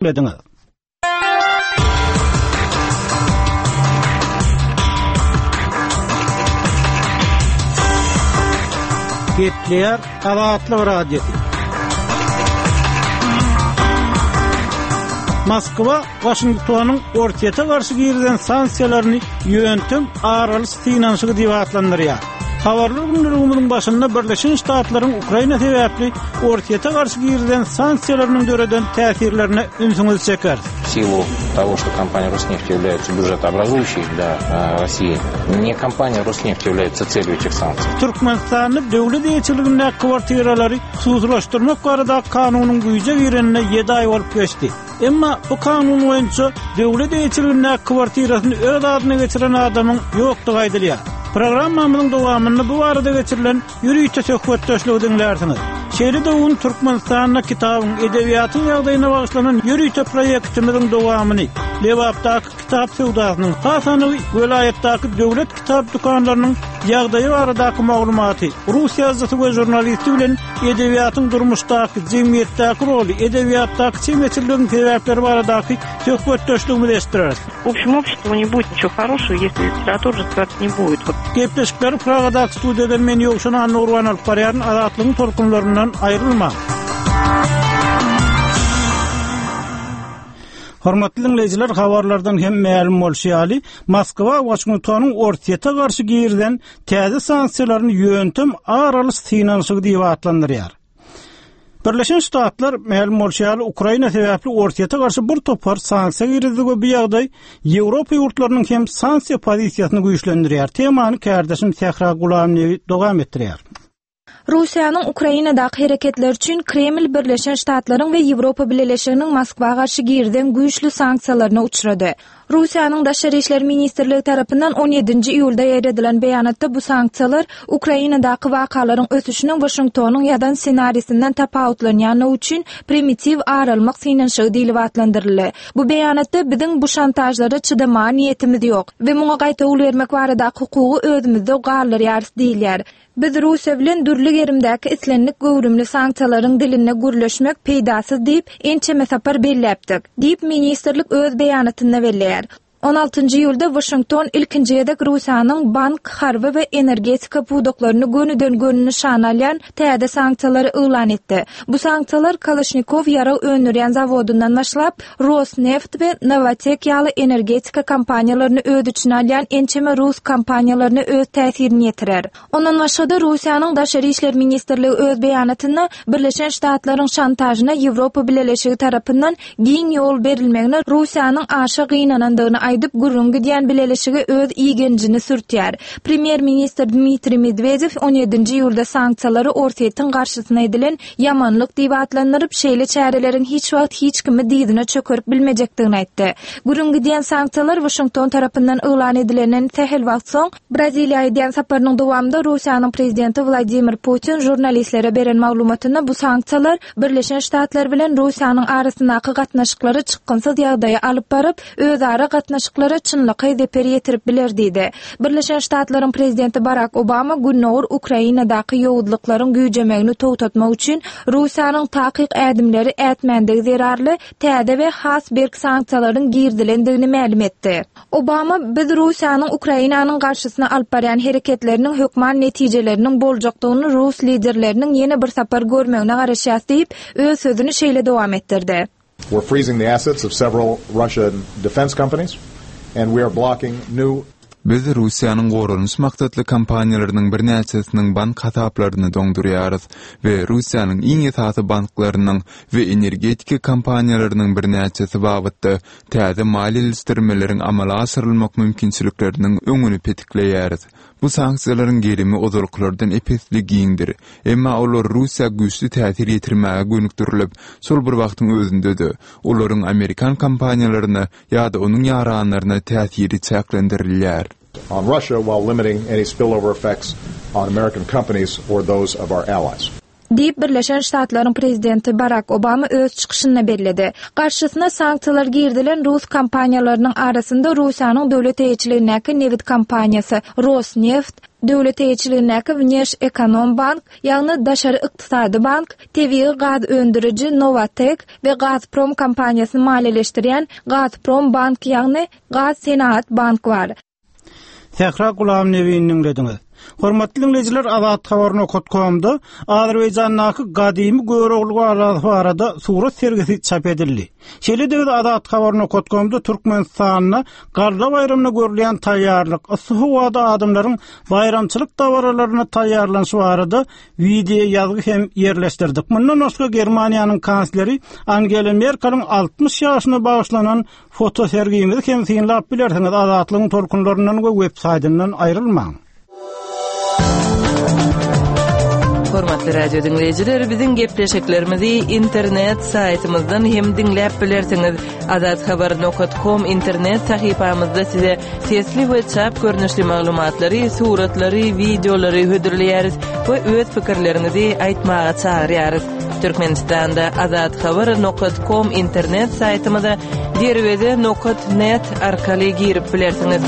Ediňiz. Gepleýär Azatlyk Radiosy. Moskwa Waşingtonyň Orsýete garşy girizen sanksiýalaryny ýöntem ar alyş synanyşygy diýip atlandyrýar. Habarlar gündeligimiziň başynda Birleşen Ştatlaryň Ukraina sebäpli Orsýete garşy girizen sanksiýalarynyň döreden täsirlerine ünsüňizi çekeris. В силу того, что компания Роснефть является бюджетообразующей для России, не компания Роснефть является целью этих санкций. Türkmenistanda döwlet eýeçiligindäki kwartiralary hususylaşdyrmak baradaky kanunyň güýje girenine ýedi aý bolup geçdi. Emma bu kanun boýunça döwlet eýeçiligindäki kwartirasyny öz adyna geçiren adamyň ýokdugy aýdylýar. Programmamyzyň dowamynda bu barada geçirilen ýörite söhbetdeşligi diňlärsiňiz. Şeýle-de bu gün Türkmenistanda kitabyň, edebiýatyň ýagdaýyna bagyşlanan ýörite proýektimiziň dowamyny, Lebapdaky kitap söwdasynyň, has anygy welaýatdaky döwlet kitap dükanlarynyň ýagdaýy baradaky maglumaty, rus ýazyjysy we žurnalisti bilen edebiýatyň durmuşdaky, jemgyýetdäki roly, edebiýatdaky çemeçilligiň sebäpleri baradaky söhbetdeşligimizi eşitdireris. W общем, обществу не будет ничего хорошего, если литература развиваться не будет. Gepleşikleri Pragadaky studiýadan men Ýowşan Annagurban alyp barýaryn. Azatlygyň tolkunlaryndan aýrylmaň! Hormatly diňleýjiler, habarlardan hem mälim bolşy ýaly, Moskwa Waşingtonyň Orsýete garşy girizen täze sanksiýalaryny ýöntem ar alyş synanyşygy diýip atlandyrýar. Birleşen Ştatlar, mälim bolşy ýaly, Ukraina sebäpli Orsýete garşy bir topar sanksiýa girizdi we bu ýagdaý Ýewropa ýurtlarynyň hem sanksiýa pozisiýasyny güýçlendirýär. Temany kärdeşim Sähra Gulamnebi dowam etdirýär. Russiýanyň Ukrainadaky hereketleri üçin Kreml Birleşen Ştatlaryň we Ýewropa Bileleşiginiň Moskwa garşy girizen güýçli sanksiýalaryna uçrady. Russiýanyň Daşary işler ministrligi tarapyndan on ýedinji iýulda ýaýradylan beýanatda bu sanksiýalar Ukrainadaky wakalaryň ösüşiniň Waşingtonyň ýazan ssenarisinden tapawutlanýanlygy üçin primitiw ar almak synanyşygy diýlip atlandyryldy. Bu beýanatda biziň bu şantažlara çydamaga niýetimiz ýok we muňa gaýtawul bermek baradaky hukugy özümizde galdyrýarys diýilýär. Biz Russiýa bilen dürli gerimdäki islendik göwrümli sanksiýalaryň dilinde gürleşmek peýdasyz diýip, ençeme sapar belläpdik, diýip, ministrlik öz beýanatynda belleýär. On altynjy iýulda Waşington ilkinji gezek Russiýanyň bank, harby we energetika pudaklaryny gönüden-göni nyşana alýan täze sanksiýalary yglan etdi. Bu sanksiýalar Kalaşnikow ýarag öndürýän zawodyndan başlap, Rosneft we Nowatek ýaly energetika kompaniýalaryny öz içine alýan ençeme rus kompaniýalaryna öz täsirini ýetirer. Ondan başga-da, Russiýanyň Daşary işler ministrligi öz beýanatynda Birleşen Ştatlaryň şantažyna Ýewropa Bileleşigi tarapyndan giň ýol berilmegine Russiýanyň aşa gynanandygyny aýdyp, gürrüň gidýän bileleşige öz igenjini sürtýär. Premýer-ministr Dmitriý Medwedew on ýedinji iýulda sanksiýalary Orsýetiň garşysyna edilen ýamanlyk diýip atlandyryp, şeýle çäreleriň hiç wagt hiç kimi dyzyna çökerip bilmejekdigini aýtdy. Gürrüň gidýän sanksiýalar Waşington tarapyndan yglan edilenden sähel wagt soň, Braziliýa edýän saparynyň dowamynda Russiýanyň prezidenti Wladimir Putin žurnalistlere beren maglumatynda bu sanksiýalar Birleşen Ştatlar bilen Russiýanyň arasyndaky gatnaşyklary çykgynsyz ýagdaýa alyp baryp, özara gatnaşyklara çynlakaý zeper ýetirip biler diýdi. Birleşen Ştatlaryň prezidenti Barak Obama gündogar Ukrainadaky ýowuzlyklaryň güýjemegini togtatmak üçin Russiýanyň takyk ädimleri ätmändigi zerarly täze we has berk sanksiýalaryň girizilendigini mälim etdi. Obama, Biz Russiýanyň Ukrainanyň garşysyna alyp barýan hereketleriniň hökman netijeleriniň boljakdygyny rus liderleriniň ýene bir sapar görmegine garaşýas diýip, öz sözüni şeýle dowam etdirdi. We're freezing the assets of several Russian defense companies and we are blocking new. Biz Russiýanyň goranyş maksatly kompaniýalarynyň birnäçesiniň bank hasaplaryny doňdurýarys we Russiýanyň iň esasy banklarynyň we energetika kompaniýalarynyň birnäçesi babatda täze maliýeleşdirmeleriň amala aşyrylmak mümkinçilikleriniň öňüni petikleýäris. Bu sanksiýalaryň gerimi ozalkylardan ep-esli giňdir, emma olar Russiýa güýçli täsir ýetirmäge gönükdirilip, şol bir wagtyň özünde-de, olaryň amerikan kompaniýalaryna ýa-da onuň ýaranlaryna täsiri çäklendirilýär. On Russia while limiting any spillover effects on American companies or those of our allies. Diýip, Birleşen Ştatlaryň prezidenti Barak Obama öz çykyşynda belledi. Garşysyna sanksiýalar girizilen rus kompaniýalarynyň arasynda Russiýanyň döwlet eýeçiligindäki nebit kompaniýasy Rosneft, Döwlet eýeçiligindäki Wneşekonombank, ýagny Daşary ykdysady bank, tebigy gaz öndüriji Nowatek we Gazprom kompaniýasyny maliýeleşdirýän Gazprombank, ýagny Gazsenagat bank bar. Sähra Gulamnebini diňlediňiz. Hormatly diňleýjiler Azat Habar nokat komda Azerbaýjandaky gadymy Görogly galasy barada surat sergisi çap edildi. Şeýle-de biz Azat Habar nokat komda Türkmenistanda Galla baýramyna görülýän taýýarlyk, yssy howada adamlaryň baýramçylyk dabaralaryna taýýarlanyşy barada wideo ýazgy hem ýerleşdirdik. Mundan başga Germaniýanyň kansleri Angela Merkeliň 60 ýaşyna bagyşlanan Fotosergimizi hem synlap bilersiňiz Azatlygyň tolkunlaryndan we web saýtyndan aýrylmaň. Hormatly radio diňleýjiler, biziň gepleşiklerimizi internet saýtymyzdan hem diňläp bilersiňiz. Azathabar.com internet sahypamyzda size sesli we çap görnüşli maglumatlary, suratlary, wideolary hödürleýäris we öz pikirleriňizi aýtmaga çagyrýarys. Türkmenistanda Azat Habar nokat kom internet saýtymyza derweze nokat net arkaly girip bilersiňiz.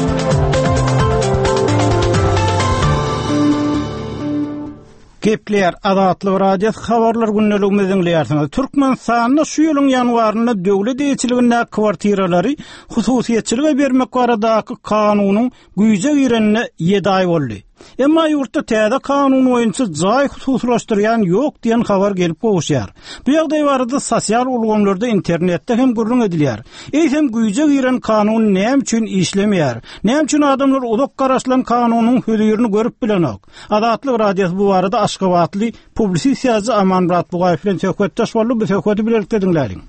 Gepleýär Azatlyk Radiosy habarlar gündeligimizi diňleýärsiňiz. Türkmenistanda şu ýylyň ýanwarynda döwlet eýeçiligindäki kwartiralary hususyýetçilige bermek baradaky kanunyň güýje girenine ýedi aý boldy. Emma ýurtda täze kanun boýunça jaý hususylaşdyrýan ýok diýen habar gelip gowuşýar. Bu ýagdaý barada sosial ulgamlarda, internetde hem gürrüň edilýär. Eýsem güýje giren kanun näme üçin işlemeýär? Näme üçin adamlar uzak garaşylan kanunyň hözirini görüp bilenok? Azatlyk Radiosy bu barada aşgabatly publisist ýazyjy Amanmyrat Bugaýew bilen söhbetdeş boldy. Bu söhbeti bilelikde diňläliň.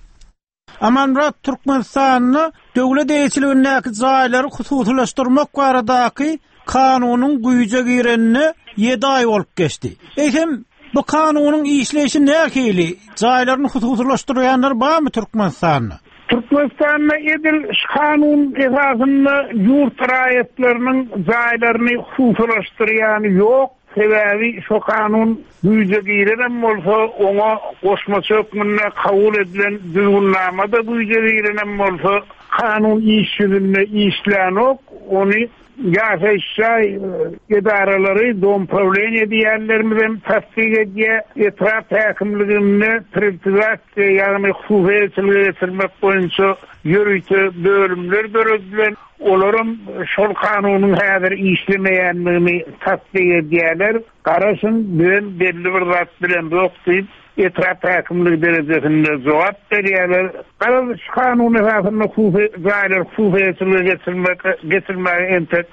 Amanmyrat Türkmenistanda döwlet eýeçiligindäki jaýlary hususylaşdyrmak baradaky kanunyň güýje girenine ýedi aý bolup geçdi. Eýsem, bu kanunyň işleýşi nähili? Jaýlaryny hususylaşdyrýanlar barmy Türkmenistanda? Türkmenistanda edil şu kanun esasynda ýurt raýatlarynyň jaýlaryny hususylaşdyrýany ýok. Sebäbi şo kanun güýje girenem bolsa, oňa goşmaça hökmünde kabul edilen düzgünnama-da güýje girenem bolsa, kanun iş ýüzünde işlänok, ony ýaşaýyş jaý edaralary, domprawleniýe diýýänlerimizem tassyk edýär, etrap häkimliginde priwtizasiýa, ýagny hususy eýeçilige geçirmek boýunça ýörite bölümler döredilen. Olaram şol kanunyň häzir işlemeýändigini tassyk edýärler. Garaşyň, bizem belli bir zat bilemzok diýip, etrap häkimligi derejesinde jogap berýärler. Garaz, şu kanun esasynda hususy jaýlary hususy eýeçilige geçirmek geçirmäge entek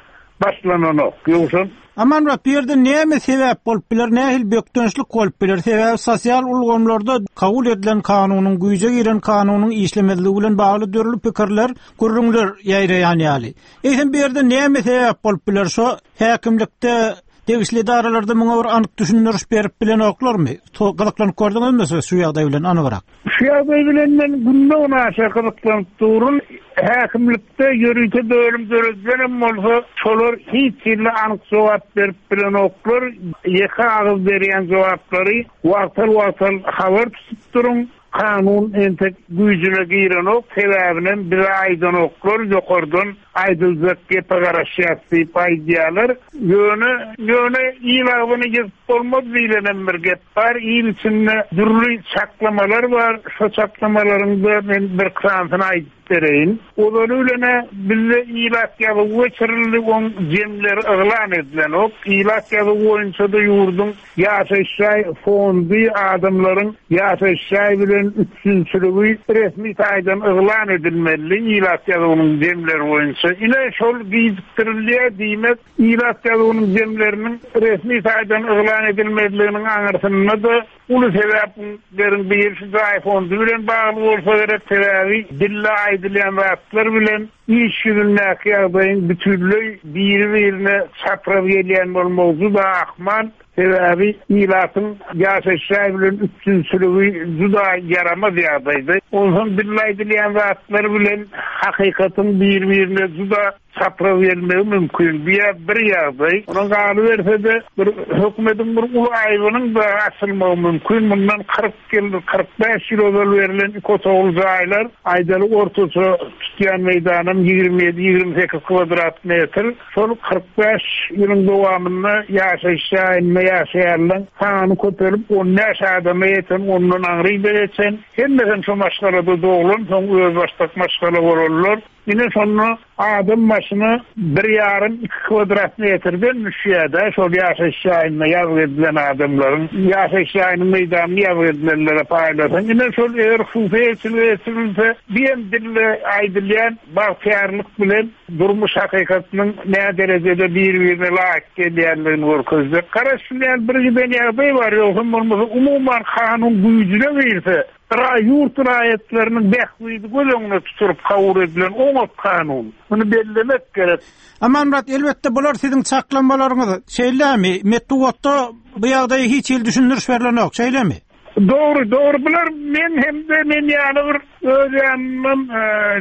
başlananok. Ýogsam. Amanmyrat, bu ýerde näme sebäp bolup biler, nähili bökdençlik bolup biler? Sebäbi sosial ulgamlarda kabul edilen kanunyň, güýje giren kanunyň işlemezligi bilen bagly dürli pikirler, gürrüňler ýaýraýan ýaly. Eýsem bu ýerde näme sebäp bolup biler? Şo häkimlikde, degişli edaralarda muňa bir anyk düşündiriş berip bilenoklarmy? Gyzyklanyp gördüňizmi siz şu ýagdaý bilen anygrak? Şu ýagdaý bilen men günde-günaşa gyzyklanyp durun. Häkimlikde ýörite bölüm döredilenem bolsa, şolar hiç hili anyk jogap berip bilenoklar. Ýeke agyz berýän jogaplary wagtal-wagtal habar tutup duruň. Kanun entek güýjüne girenok, sebäbinem bize aýdanoklar, ýokardan aýdyljak gepe garaşýas diýip aýdýarlar. Ýöne, ýöne il agzyny ýygyp bolmaz diýlenem bir gep bar. Il içinde dürli çaklamalar bar. Şo çaklamalaryň-da men bir sanysyny aýdyp bereýin. Ozaly bilen-ä bizde ilat ýazuwy geçirildi, oň jemleri yglan edilenok. Ilat ýazuwy boýunça-da ýurduň Ýaşaýyş jaý fondy adamlaryň ýaşaýyş jaý bilen üpjünçiligi resmi taýdan yglan edilmelidi, ilat ýazuwynyň jemleri boýunça. Ine, şol gijikdirilýär, diýmek, ilat ýazuwynyň jemleriniň resmi taýdan yglan edilmezliginiň aňyrsynda-da uly sebäpleriň biri şu jaý fondy bilen bagly bolsa gerek, sebäbi dilde aýdylýan zatlar bilen Iş ýüzündäki ýagdaýyň bütinleý biri-birine çapraz gelýän bolmagy juda ahmal, sebäbi ilatyň ýaşaýyş jaý bilen üpjünçiligi juda ýaramaz ýagdaýda. Onsoň dilde aýdylýan zatlar bilen hakykatyň biri-birine juda çapraz gelmegi mümkin. Bu-ýa bir ýagdaý. Onuň galyberse-de, bir hökümetiň bir uly aýbynyň-da açylmagy mümkin. Mundan 40 ýyl, 45 ýyl ozal berlen iki otagly jaýlar, aýdaly, ortaça tutýan meýdanam. Olam 27, 28 kwadrat metr. Şol 45 ýylyň dowamynda ýaşaýyş jaýynda ýaşaýanlaryň sany köpelip, 15 adama ýeten, ondan aňry-da geçen. Hemmesem şo maşgalada doglan, soň özbaşdak maşgala bolanlar. Ine şonda adam başyna bir ýarym, iki kwadrat metrden düşýär-dä şol ýaşaýyş jaýynda ýazgy edilen adamlaryň. Ýaşaýyş jaýynyň meýdanyny ýazgy edilenlere paýlasaň, ine şol eger hususy eýeçilige geçirilse, diýen dilde aýdylýan bagtyýarlyk bilen durmuş hakykatynyň näderejede bir-birine laýyk gelýändigini görkezjek. Garaşylýan bir giden ýagdaý bar, ýogsam bolmasa umuman kanun güýjüne girse, Ýurt raýatlarynyň bähbidi göz öňünde tutulyp kabul edilen oňat kanun. Muny bellemek gerek. Amanmyrat, elbetde bular siziň çaklamalaryňyz, şeýlemi? Metbugatda bu ýagdaýa hiç hili düşündiriş berlenok, şeýlemi? Dogry, dogry. Bular meň hem-de men ýaly bir öz ýanyndan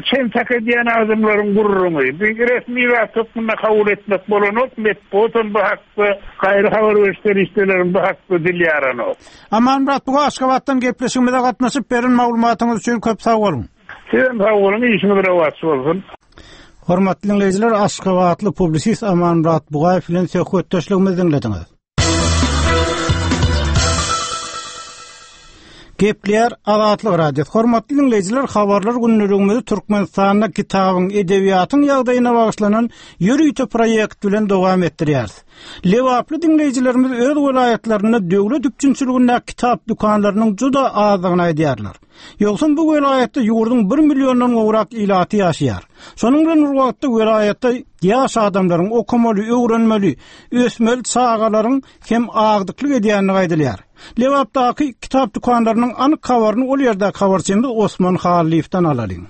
çen-çak edýän adamlaryň gürrüňi. Bir resmi zat hökmünde kabul etmek bolanok, metbugatam bu hakda, gaýry habar beriş serişdelerem bu hakda dil ýaranok. Amanmyrat buga Aşgabatdan gepleşigimize gatnaşyp beren maglumatyňyz üçin köp sag boluň. Sizem sag boluň, işiňiz rowaç bolsun. Hormatly diňleýjiler, aşgabatly publisist Amanmyrat Bugaýew bilen söhbetdeşligimizi diňlediňiz. Gepleýär Azatlyk Radiosy. Hormatly diňleýjiler, habarlar gündeligimizi Türkmenistanda kitabyň, edebiýatyň ýagdaýyna bagyşlanan ýörite proýekt bilen dowam etdirýäris. Lebaply diňleýjilerimiz öz welaýatlarynda döwlet üpjünçiligindäki kitap dükanlarynyň juda azdygyny aýdýarlar. Ýogsam bu welaýatda ýurduň bir milliondan gowrak ilaty ýaşaýar. Şonuň bilen bir wagtda welaýatda ýaş adamlaryň, okamaly, öwrenmeli, ösmeli çagalaryň hem agdyklyk edýändigi aýdylýar. Lebapdaky kitap dükanlarynyň anyk habaryny ol ýerdäki habarçymyz Osman Hallyýewden alalyň.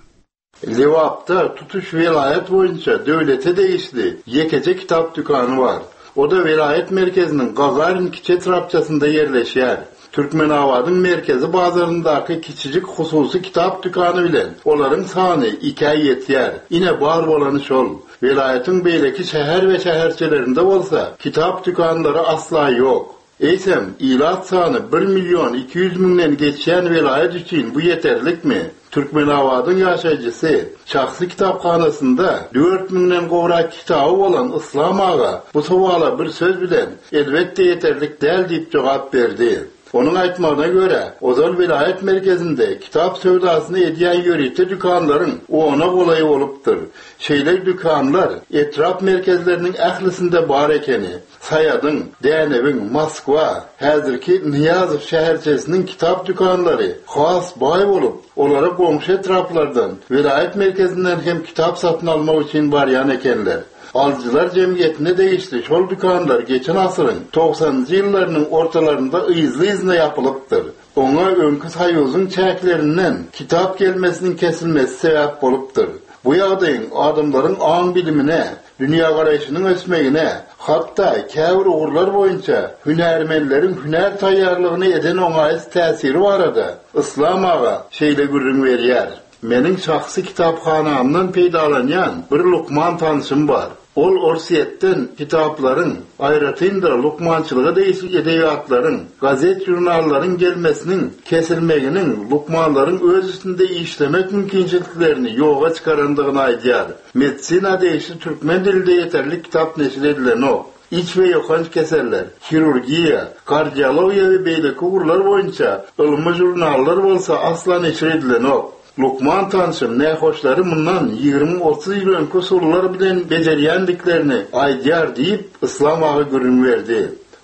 Lebapda tutuş welaýat boýunça döwlete degişli ýekeje kitap dükany bar. O-da welaýat merkeziniň Gagarin kiçi etrapçasynda ýerleşýär. Türkmenabadyň merkezi bazaryndaky kiçijik hususy kitap dükany bilen olaryň sany ikä ýetýär. Ine, bar bolany şol. Welaýatyň beýleki şäher we şäherçelerinde bolsa kitap dükanlary asla ýok. Eýsem, ilat sany bir million 200 müňden geçýän welaýat üçin bu ýeterlikmi? Türkmenabadyň ýaşaýjysy, şahsy kitaphanasynda dört müňden gowrak kitaby bolan Yslam aga bu sowala bir söz bilen, Elbetde ýeterlik däl diýip jogap berdi. Onuň aýtmagyna görä, ozal welaýat merkezinde kitap söwdasyny edýän ýörite dükanlaryň ona golaýy bolupdyr. Şeýle dükanlar etrap merkezleriniň ählisinde bar ekeni. Saýadyň, Dänewiň, Moskwa, häzirki Nyýazow şäherçesiniň kitap dükanlary has baý bolup, olara goňşy etraplardan, welaýat merkezinden hem kitap satyn almak üçin barýan ekenler. Alyjylar jemgyýetine degişli şol dükanlar geçen asyryň togsanynjy ýyllarynyň ortalarynda yzly-yzyna ýapylypdyr. Oňa öňki Soýuzyň çäklerinden kitap gelmesiniň kesilmesi sebäp bolupdyr. Bu ýagdaýyň adamlaryň aň-bilimine, dünýägaraýşynyň ösmegine, hatda käbir ugurlar boýunça hünärmenleriň hünär taýýarlygyna eden oňaýsyz täsiri barada Yslam aga şeýle gürrüň berýär, Meniň şahsy kitaphanamdan peýdalanýan bir lukman tanşym bar. Ol Orsýetden kitaplaryň, aýratyn-da lukmançylyga degişli edebiýatlaryň, gazet-žurnallaryň gelmesiniň kesilmeginiň lukmanlaryň öz üstünde işlemek mümkinçiliklerini ýoga çykarandygyny aýdýar. Medisina degişli türkmen dilinde ýeterlik kitap neşir edilenok. Iç we ýokanç keseller, hirurgiýa, kardiologiýa we beýleki ugurlar boýunça ylmy žurnallar bolsa asla neşir edilenok. Lukman tanşym nähoşlary mundan 20-30 ýyl öňki usullar bilen bejerýändiklerini aýdýar diýip, Yslam aga gürrüň berdi.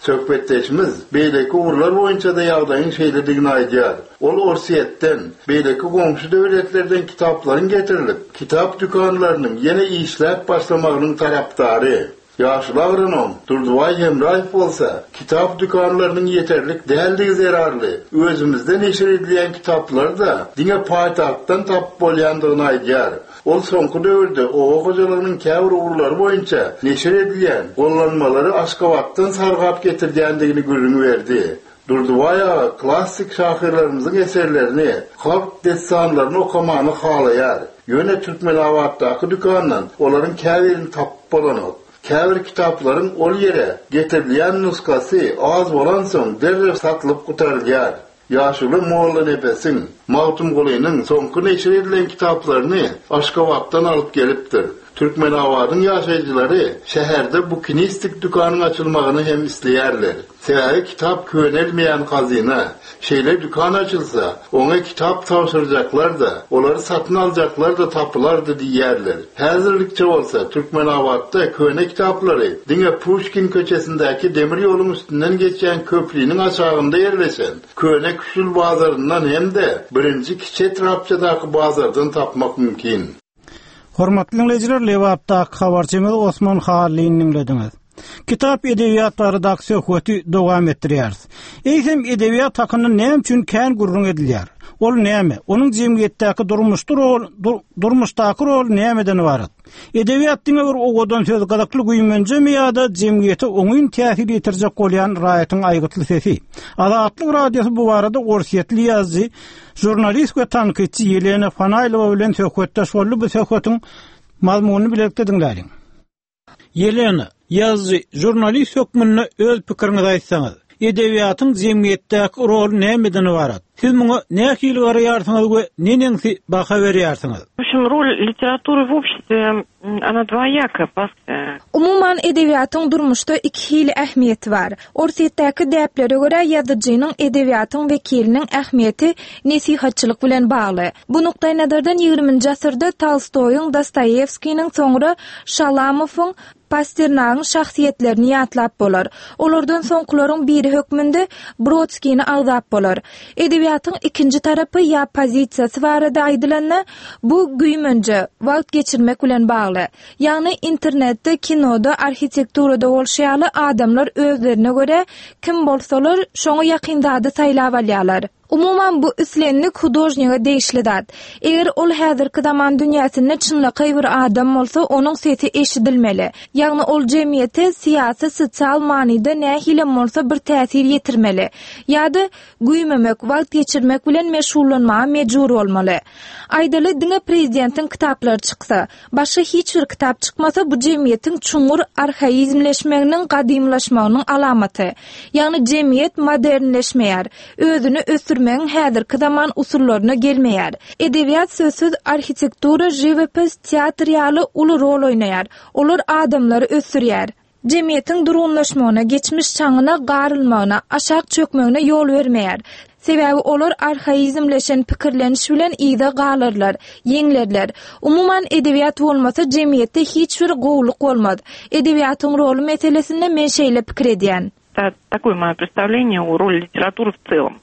Söhbetdeşimiz beýleki ugurlar boýunça-da ýagdaýyň şeýledigini aýdýar. Ol Orsýetden, beýleki goňşy döwletlerden kitaplaryň getirilip, kitap dükanlarynyň ýene işläp başlamagynyň tarapdary. Ýaşuly agronom Durdybaý Hemraýew bolsa, kitap dükanlarynyň ýeterlik däldigi zerarly, özümizde neşir edilýän kitaplary-da diňe paýtagtdan tapyp bolýandygyny aýdýar. Ol soňky döwürde oba hojalygynyň käbir ugurlary boýunça neşir edilýän gollanmalary Aşgabatdan sargap getirdýändigini gürrüň berdi. Durdybaý aga klassyk şahyrlarymyzyň eserlerini, halk dessanlaryny okamany halaýar. Ýöne Türkmenabatdaky dükandan olaryň käbirini tapyp bolanok. Käbir kitaplaryň ol ýere getirilýän nusgasy az bolansoň derrew satylyp gutarylýar. Ýaşuly Mollanepesiň, Magtymgulynyň soňky neşir edilen kitaplaryny Aşgabatdan alyp gelipdir. Türkmenabadyň ýaşaýjylary şäherde bukinistik dükanyň açylmagyny hem isleýärler. Sebäbi kitap könelmeýän hazyna. Şeýle dükan açylsa, oňa kitap tabşyrjaklar-da, olary satyn aljaklar-da tapylardy diýýärler. Häzirlikçe bolsa Türkmenabatda köne kitaplary diňe Puşkin köçesindäki demir ýoluň üstünden geçýän köpriniň aşagynda ýerleşen Köne Küşül bazaryndan hem-de birinji kiçi etrapçadaky bazardan tapmak mümkin. Hormatly diňleýjiler, Lebapdaky habarçymyz Osman Hallyny diňlediňiz. Kitap edebiýat baradaky söhbeti dowam etdirýäris. Eýsem edebiýat hakynda näme üçin kän gürrüň edilýär? Ol näme? Onuň jemgyýetdäki durmuşda rol, durmuşdaky roly nämeden ybarat? Edebiýat diňe bir owadan söz, gyzykly güýmenjemi ýa-da jemgyýete oňyn täsir ýetirjek bolýan raýatyň aýgytly sesi? Azatlyk Radiosy bu barada orsýetli ýazyjy, žurnalist we tankytçy Ýelena Fanaýlowa bilen söhbetdeş boldy. Bu söhbetiň mazmunyny bilelikde diňläliň. Ýelena, ýazyjy, žurnalist hökmünde öz pikiriňizi aýtsaňyz. Edebiýatyň jemgyýetdäki roly nämeden ybarat? Siz muňa nähili garaýarsyňyz we neneňsi baha berýärsiňiz? W общем, rol literatury w обществе, ona dwoýaka. Umuman, edebiýatyň durmuşda iki hili ähmiýeti bar. Orsýetdäki däplere görä, ýazyjynyň, edebiýatyň wekiliniň ähmiýeti nesihatçylyk bilen bagly. Bu nukdaýnazardan ýigriminji asyrda Tolstoýyň, Dostoýewskiniň, soňra Şalamowyň, Pasternagyň şahsyýetlerini ýatlap bolar. Olardan soňkularyň biri hökmünde Brodskini agzap bolar. Edebiýatyň ikinji tarapy ýa pozisiýasy barada aýdylanda, bu güýmenje, wagt geçirmek bilen bagly. Ýagny internetde, kinoda, arhitekturada bolşy ýaly adamlar özlerine görä kim bolsalar, şoňa ýakyn zady saýlap alýarlar. Umuman bu islendik hudožnige degişli zat. Eger ol häzirki zaman dünýäsinde çynlakaý bir adam bolsa, onuň sesi eşidilmeli. Ýagny ol jemgyýete syýasy, sosial manyda nähilem bolsa bir täsir ýetirmeli. Ýa-da güýmemek, wagt geçirmek bilen meşgullanmaga mejbur bolmaly. Aýdaly, diňe prezidentiň kitaplary çyksa. Başga hiç bir kitap çykmasa, bu jemgyýetiň çuňňur arhaizmleşmeginiň, gadymylaşmagynyň alamaty. Ýagny jemgyýet modernleşmeýär, özüni ösdürmegiň häzirki zaman usullaryna gelmeýär. Edebiýat sözsüz arhitektura, žiwopis, teatr ýaly uly rol oýnaýar. Olar adamlary ösdürýär. Jemgyýetiň durgunlaşmagyna, geçmiş çaňyna garylmagyna, aşak çökmegine ýol bermeýär. Sebäbi olar arhaizmleşen pikirleniş bilen yza galarlar, ýeňlärler. Umuman, edebiýat bolmasa, jemgyýetde hiç bir gowulyk bolmaz. Edebiýatyň roly meselesinde men şeýle pikir edýän. Takoe moýo predstavleniýe o roli literatury w celom.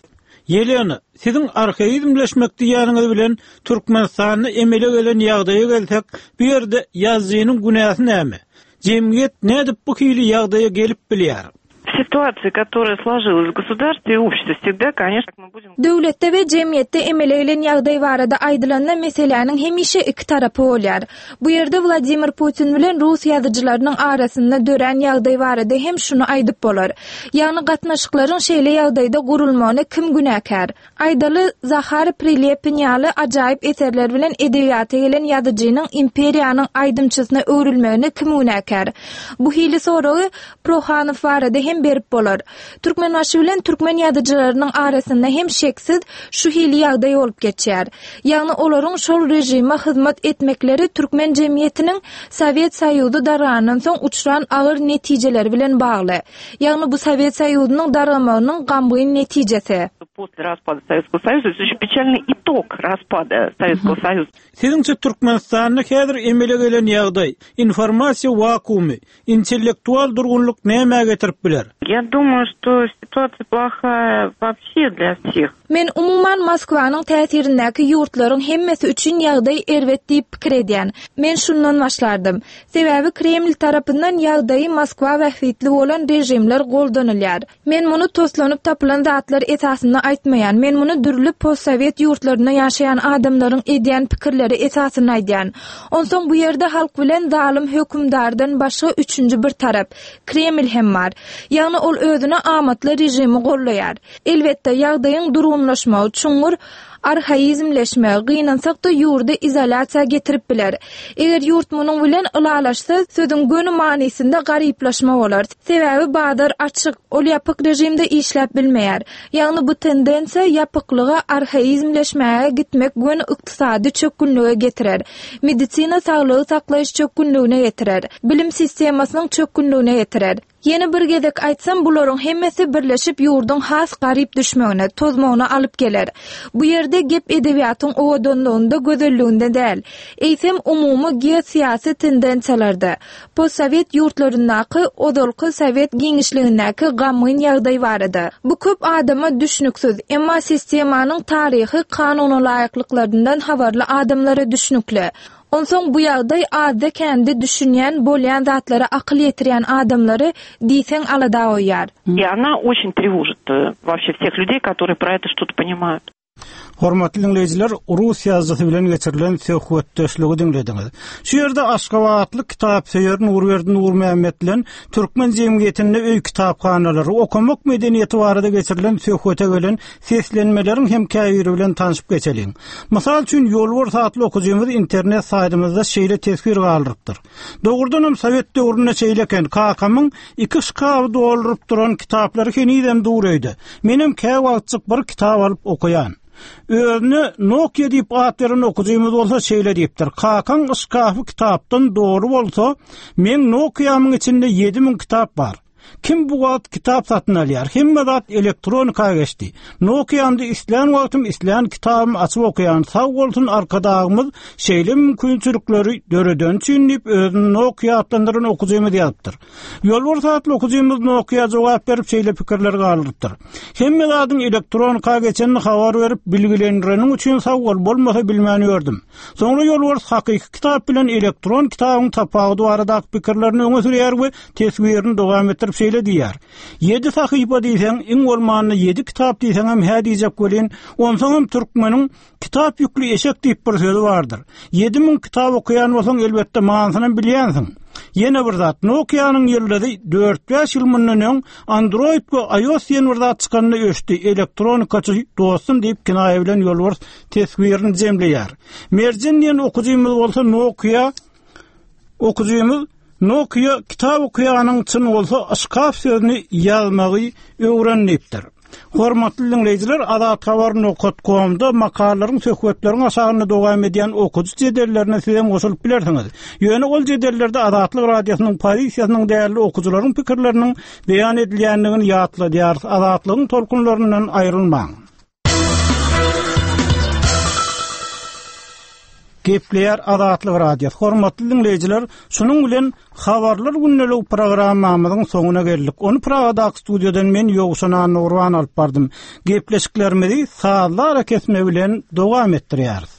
Ýelena, siziň arhaizmleşmek diýýäniňiz bilen Türkmenistanda emele gelen ýagdaýa gelsek, bu ýerde ýazyjynyň günäsi näme? Jemgyýet nädip bu hili ýagdaýa gelip bilýär? W situasiýi, kotoraýa složilas w gosudarstwe i обществе wsegda, koneçno, my budem. Döwletde we jemgyýetde emele gelen ýagdaý barada aýdylanda meseläniň hemişe iki tarapy bolýar. Bu ýerde Wladimir Putin bilen rus ýazyjylarynyň arasynda dörän ýagdaý barada hem şuny aýdyp bolar. Ýagny gatnaşyklaryň şeýle ýagdaýda gurulmagyna kim günäkär? Aýdaly, Zahar Prilepin ýaly ajaýyp eserler bilen edebiýata gelen ýazyjynyň imperiýanyň aýdymçysyna öwrülmegine kim günäkär? Bu hili soragy Prohanow barada hem berip bolar. Türkmenbaşy bilen türkmen ýazyjylarynyň arasynda hem şeksiz şu hili ýagdaý bolup geçýär. Ýagny olaryň şol režime hyzmat etmekleri türkmen jemgyýetiniň Sowet Soýuzy dargandan soň uçran agyr netijeleri bilen bagly. Ýagny bu Sowet Soýuzynyň dargamagynyň gamgyn netijesi. Posle raspada Sowetskogo Soýuza, to ýest peçalnyý itog raspada Sowetskogo Soýuza. Siziňçe Türkmenistanda häzir emele gelen ýagdaý, informasiýa wakuumy, intellektual durgunlyk nämä getirip biler? Ýa dumaýu, şto situasiýa plohaýa woobşe dlýa wseh. Men umuman Moskwanyň täsirindäki ýurtlaryň hemmesi üçin ýagdaý erbet diýip pikir edýän. Men şundan başlardym. Sebäbi Kreml tarapyndan ýagdaýy Moskwa bähbitli bolan režimler goldanylýar. Men muny toslanyp tapylan zatlar esasynda aýtmaýan, men muny dürli postsowet ýurtlarynda ýaşaýan adamlaryň edýän pikirleri esasynda aýdýan. Onsoň bu ýerde halk bilen zalym hökümdardan başga üçünji bir tarap, Kreml hem bar. Ýagny ol özüne amatly režimi gollaýar. Elbetde, ýagdaýyň durgunlaşmagy, çuňňur. Arhaizmleşme, gynansak-da ýurdy izolýasiýa getirip biler. Eger ýurt munuň bilen ylalaşsa, sözüň göni manysynda garyplaşma bolar. Sebäbi bazar açyk, ol ýapyk režimde işläp bilmeýär. Ýagny bu tendensiýa ýapyklyga, arhaizmleşmäge gitmek göni ykdysady çökgünlige getirer. Medisina saglygy saklaýyş çökgünligine getirer. Bilim sistemasynyň çökgünligine getirer. Ýene bir gezek aýtsam, bularyň hemmesi birleşip ýurduň has garyp düşmegine, tozmagyna alyp geler. Bu ýerde gep edebiýatyň owadanlygynda, gözelliginde däl. Eýsem, umumy geosyýasy tendensiýalarda, postsowet ýurtlaryndaky, ozalky sowet giňişligindäki gamgyn ýagdaý barada. Bu köp adama düşnüksiz, emma sistemanyň taryhy kanunalaýyklyklaryndan habarly adamlara düşnükli. Onsoň bu ýagdaý azda-kände düşünýän, bolýan zatlara akyl ýetirýän adamlary diýseň alada goýýar. И ona oçen trewojit woobşe wseh lýudey, kotorye pro eto çto-to ponimают. Hormatly diňleýjiler, rus ýazyjysy bilen geçirilen söhbetdeşligi diňlediňiz. Şu ýerde aşgabatly kitapsöýer Nurberdi Nurmämmet bilen türkmen jemgyýetinde öý kitaphanalary, okamak medeniýeti barada geçirilen söhbete gelen seslenmeleriň hem käbiri bilen tanşyp geçeliň. Mysal üçin, Ýolbars atly okyjymyz internet saýtymyzda şeýle teswir galdyrypdyr. Dogrudanam sowet döwründe şeýle eken, kakamyň iki şkaby dolduryp duran kitaplary henizem dur öýde. Menem käwagtjyk bir kitap alyp okaýan. Özüne Nokia diýip at beren okyjymyz bolsa şeýle diýipdir, Kakaň şkafy kitapdan doly bolsa, meň Nokiamyň içinde 7000 kitap bar. Kim bu wagt kitap satyn alýar? Hemme zat elektronika geçdi. Nokiamda islän wagtym islän kitabymy açyp okaýan. Sag bolsun Arkadagymyz şeýle mümkinçilikleri döredeni üçin diýip özüni Nokia atlandyran okyjymyz ýazypdyr. Ýolbars atly okyjymyz Nokia jogap berip şeýle pikirleri galdyrypdyr. Hemme zadyň elektronika geçenini habar berip bilgilendireniň üçin sag bol bolmasa bilmän ýördüm. Soňra Ýolbars hakyky kitap bilen elektron kitabyň tapawudy baradaky pikirlerini öňe sürýär we teswirini dowam etdirip şeýle diýýär, Ýedi sahypa diýseň, iň bolmanda ýedi kitap diýseňem hä diýjek welin, onsoňam türkmeniň Kitap ýükli eşek diýip bir sözi bardyr. 7000 kitap okaýan bolsaň, elbetde manysynam bilýänsiň. Ýene bir zat, Nokia-nyň ýyldyzy dört-bäş ýyl mundan öň Android we iOS diýen bir zat çykanda öçdi, elektronikaçy dostum diýip kinaýa bilen Ýolbars teswirini jemleýär. Merjen diýen okyjymyz bolsa Nokia Okyjymyz Nokia kitap okaýanyň çyn bolsa yşkaf sözüni ýazmagy öwren diýipdir. Hormatly diňleýjiler Azathabar nokat komda makalalaryň söhbetleriň aşagynda dowam edýän okyjy jedellerine sizem goşulyp bilersiňiz. Ýöne ol jedellerde Azatlyk Radiosynyň pozisiýasynyň dälde okyjylaryň pikirleriniň beýan edilýändigini ýatladýarys. Azatlygyň tolkunlaryndan aýrylmaň. Gepleýär Azatlyk Radiosy. Hormatly diňleýjiler, şunuň bilen Habarlar gündeligi programmamyzyň soňuna geldik. Ony Pragadaky studiýadan men Ýowşan Annagurban alyp bardym. Gepleşiklerimizi sazly arakesme bilen dowam etdirýäris.